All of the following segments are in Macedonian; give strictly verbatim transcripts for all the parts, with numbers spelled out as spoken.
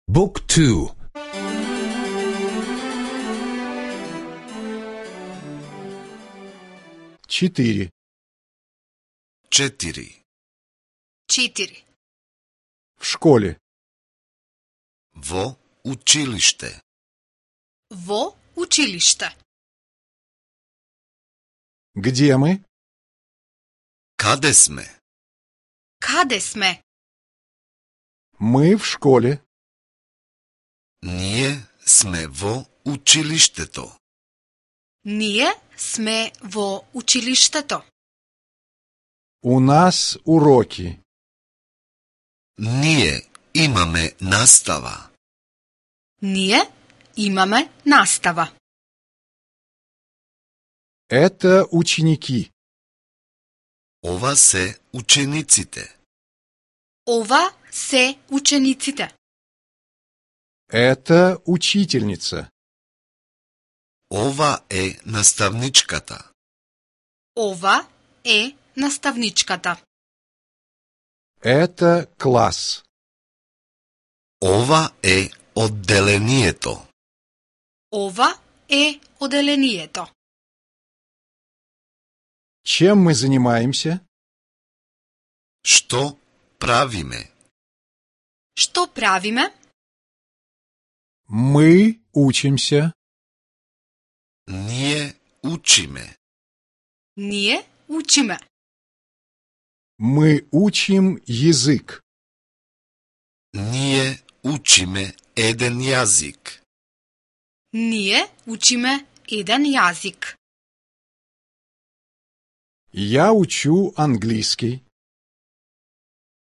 Book two. Четыре. Четири. Четири. В школе. Во училиште. Во училиште. Где мы? Каде сме? Каде сме? Мы в школе. Ние сме во училиштето. Ние сме во училиштето. У нас уроки. Ние имаме настава. Ние имаме настава. Это ученики. Ова се учениците. Ова се учениците. Это учительница. Ова е наставничката. Ова е наставничката. Это класс. Ова е одделението. Ова е оделението. Чем мы занимаемся? Што правиме? Што правиме? Мы учимся. Ние учиме. Ние учиме. Мы учим язык. Ние учиме еден јазик. Ние учиме еден јазик. Я учу английский.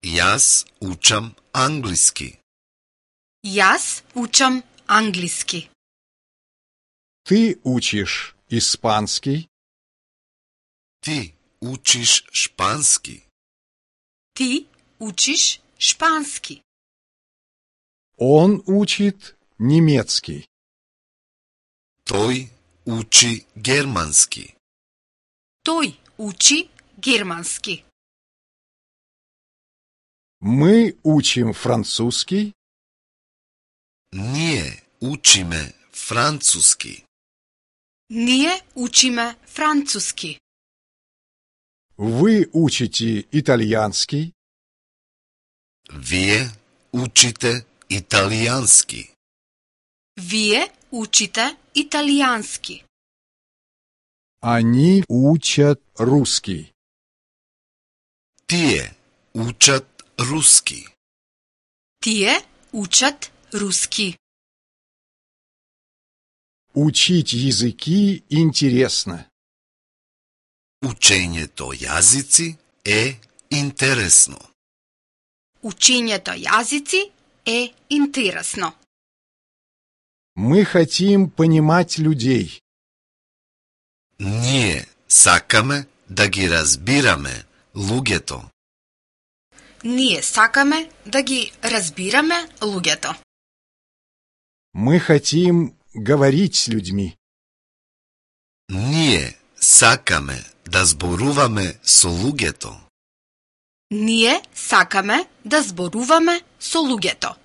Јас учам англиски. Јас учам англиски. Ты учишь испанский. Ти учиш шпански. Ти учиш шпански. Он учит немецкий. Тој учи германски. Тој учи германски. Мы учим французский. Ние учиме француски. Ние учиме француски. Вы учите итальянский. Вие учите италијански. Вие учите италијански. Они учат русский. Тие учат руски. Тие учат руски. Учить языки интересно. Учењето јазици е интересно. Учењето јазици е интересно. Мы хотим понимать людей. Ние сакаме да ги разбираме луѓето. Ние сакаме да ги разбираме луѓето. Мы хотим говорить с людьми. Ние сакаме да зборуваме со луѓето. Ние сакаме да зборуваме со луѓето.